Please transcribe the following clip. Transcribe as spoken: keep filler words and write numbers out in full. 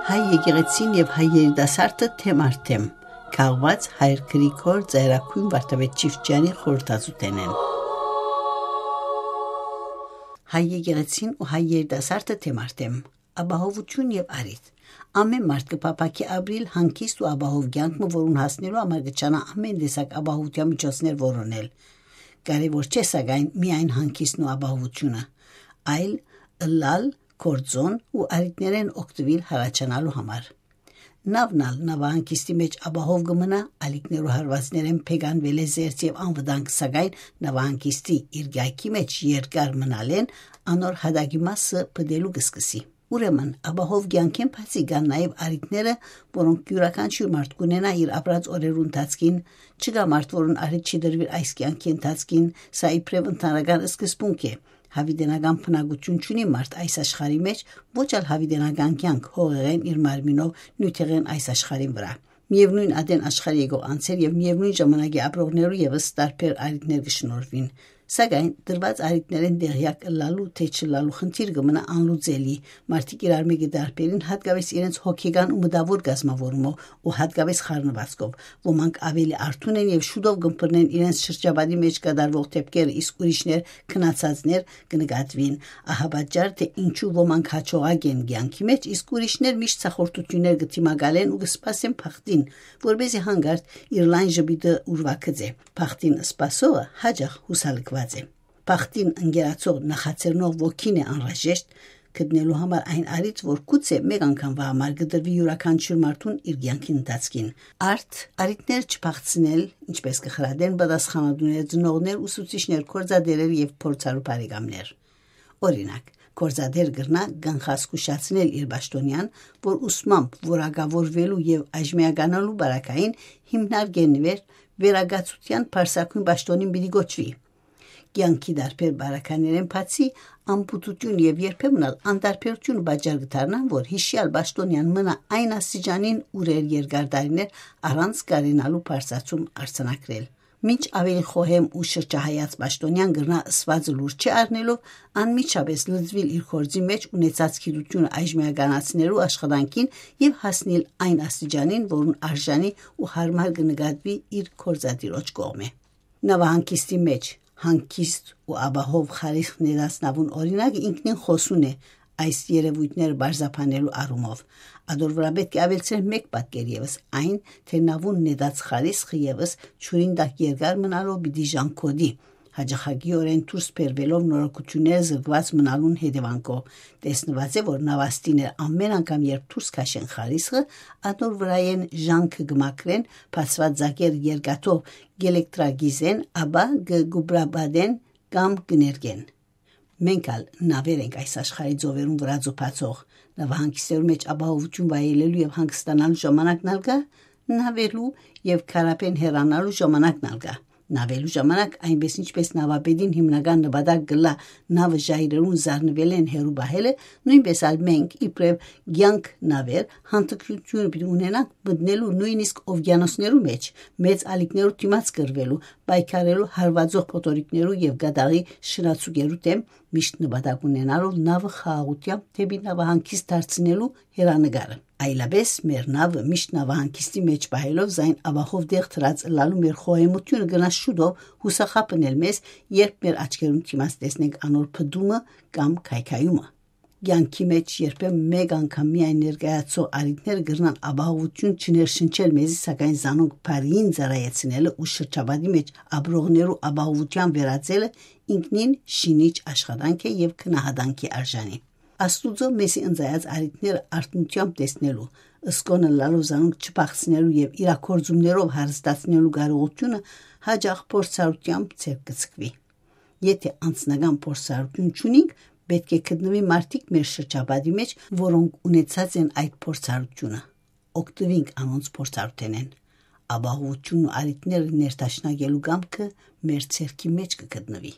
Հայ եկեղեցին եւ հայ երիտասարդը թեմ առ թեմ, քաղուած Հայր Գրիգոր Ծայրագոյն Վարդապետ Չիֆճեանի խորհրդածութենէն։ Հայ եկեղեցին ու հայ երիտասարդը թեմ առ թեմ, ապահովութիւն եւ առիթ։ Ամէն մարդ կը փափաքի ապրիլ հանգիստ ու ապահով կեանք մը, որուն հասնելու համար կը ջանայ ամէն տեսակ ապահովութեան միջոցներ որոնել։ Կարեւոր չէ, սակայն, միայն հանգիստն ու ապահովութիւնը, այլ ըլլալ, գործոն ու առիթներէն օգտուիլ յառաջանալու համար։ Նավն ալ նավահանգիստի մէջ ապահով կը մնայ, ալիքներու հարուածներէն փեգանուելէ զերծ եւ անվտանգ, սակայն նավահանգիստի իր կայքի մէջ երկար մնալէն անոր յատակի մասը պտելու կը սկսի։ Ուրեմն, ապահով կեանքէն բացի կան նաեւ առիթները, որոնք իւրաքանչիւր մարդ կունենայ իր ապրած օրերու ընթացքին, չկայ մարդ, որուն առիթ չի տրուիր այս կեանքի ընթացքին, սա իբրեւ ընդհանրական սկզբունք է։ Յաւիտենական բնակութիւն չունի մարդ այս աշխարհի մէջ, ոչ ալ յաւիտենական կեանք հողեղէն իր մարմինով նիւթեղէն այս աշխարհին վրայ։ Միեւնոյն ատեն աշխարհ եկող անձեր եւ միեւնոյն ժամանակի ապրողներու եւս տարբեր առիթներ կը շնորհուին։ Սակայն տրուած առիթներէն տեղեակ ըլլալու թէ չըլլալու խնդիր կը մնայ անլուծելի։ Մարդիկ իրար մէկը տարբերին, յատկապէս իրենց հոգեկան ու մտաւոր կազմաւորումով ու յատկապէս խառնուածքով։ Ոմանք աւելի արթուն են եւ շուտով կ'ըմբռնեն իրենց շրջապատի մէջ կատարուող դէպքերը, իսկ ուրիշներ, քնացածներ կը նկատուին։ Ահա պատճառ թէ ինչու ոմանք յաջողակ են կեանքի մէջ, իսկ ուրիշներ միշտ ցախորտութիւններ կը դիմակալեն ու կը սպասեն բախտին, որպէսզի հանկարծ իր լայն ժպիտը ուրվագծէ։ Բախտին սպասողը յաճախ յուսալքուած է։ Բախտին ընկերացող նախաձեռնող ոգին է անհրաժեշտ գտնելու համար այն առիթ, որ գուցե մէկ անգամվա համար կը տրուի իւրաքանչիւր մարդուն իր կեանքին ընթացքին։ Արդ, առիթներ չփախցնել, ինչպես կը խրատեն պատասխանատուներ, ծնողներ, ուսուցիչներ, գործատէրեր եւ փորձառու բարեկամներ։ Օրինակ, գործատէր կրնայ կանխազգուշացնել իր պաշտօնեան, որ ուսմամբ որակաւորուելու եւ այժմեականալու պարագային հիմնարկէն վեր վերակացութեան բարձրագոյն պաշտօնին պիտի կոչուի։ Կեանքի տարբեր պարագաներէն բացի, անպտղութիւն եւ երբեմն ալ անտարբերութիւն պատճառ կը դառնան, որ յիշեալ պաշտօնեան մնայ այն աստիճանին, ուր էր երկար տարիներ, առանց կարենալու բարձրացում արձանագրել։ Մինչ աւելի խոհեմ ու շրջահայաց պաշտօնեան կրնայ ըսուածը լուր չառնելով անմիջապէս լծուիլ իր գործի մէջ, ունեցած գիտութիւնը այժմեականացնելու աշխատանքին եւ հասնիլ այն աստիճանին, որուն արժանի ու յարմար կը նկատուի իր գործատիրոջ կողմէ։ Նավահանգիստի մէջ հանգիստ ու ապահով խարիսխ նետած նավուն օրինակը ինքնին խօսուն է այս երեւոյթները պարզաբանելու առումով։ Ատոր վրայ պէտք է աւելցնենք մէկ պատկեր եւս, այն, թէ նավուն նետած խարիսխը եւս ջուրին տակ երկար մնալով պիտի ժանգոտի, յաճախակիօրէն դուրս բերուելով նորոգութիւնները զրկուած մնալուն հետեւանքով։ Տեսնուած է, որ նավաստիներ ամէն անգամ, երբ դուրս քաշեն խարիսխը, ատոր վրայէն ժանգը կը մաքրեն, բացուած ծակերը երկաթով կ'ելեկտրակիզեն, ապա կը գուբրապատեն կամ կը ներկեն։ Մենք ալ նավեր ենք այս աշխարհի ծովերուն վրայ ծուփացող։ Նավահանգիստներու մէջ ապահովութիւն վայելելու եւ հանգստանալու ժամանակն ալ կայ, նավելու եւ քարաբէն հեռանալու ժամանակն ալ կայ։ Նավելու ժամանակ, այնպես ինչպես նավապետին հիմնական նպատակ կ'ըլլայ նավը ժայռերուն զարնուելէն հեռու պահելը, նոյնպես ալ մենք, իբրեւ կեանք նավեր, հանդգնութիւնը պիտի ունենանք մտնելու նոյնիսկ օվկիանոսներու մէջ, մեծ ալիքներու դիմաց կռուելու, պայքարելու հարուածող փոթորիկներու եւ կատաղի շնացուկերու դէմ, միշտ նպատակ ունենալով նավը խաղաղութեամբ դէպի նավահանգիստ դարձնելու հեռանկարը։ Այլապէս մեր նավը միշտ նավահանգիստի մէջ պահելով զայն ապահով տեղ դրած ըլլալու մեր խոհեմութիւնը կրնայ շուտով յուսախաբնել մեզ, երբ մեր աչքերուն դիմաց տեսնենք անոր պտտումը կամ քայքայումը։ Կեանքի մէջ երբեմն մէկ անգամ միայն ներկայացող առիթները կրնան ապահովութիւն չներշնչել մեզի, սակայն զանոնք բարիին ծառայեցնելը ու շրջապատի մէջ ապրողներու ապահովութեան վերածելը ինքնին շինիչ աշխատանք է եւ գնահատանքի արժանի։ Աստուծոյ մեզի ընծայած առիթները արթնութեամբ տեսնելու, սկոն ըլլալով զանոնք չփախցնելու եւ իրագործումներով հարստացնելու կարողութիւնը յաճախ փորձառութեամբ ձեռք կը ձգուի։ Եթէ անձնական փորձառութիւն չունինք, պէտք է գտնուի մարդիկ մեր շրջապատի մէջ, որոնք ունեցած են այդ փորձառութիւնը։ Օգտուինք անոնց փորձառութենէն։ Ապահովութիւնն ու առիթները ներդաշնակելու կամքը մեր ձեռքի մէջ կը գտնուի։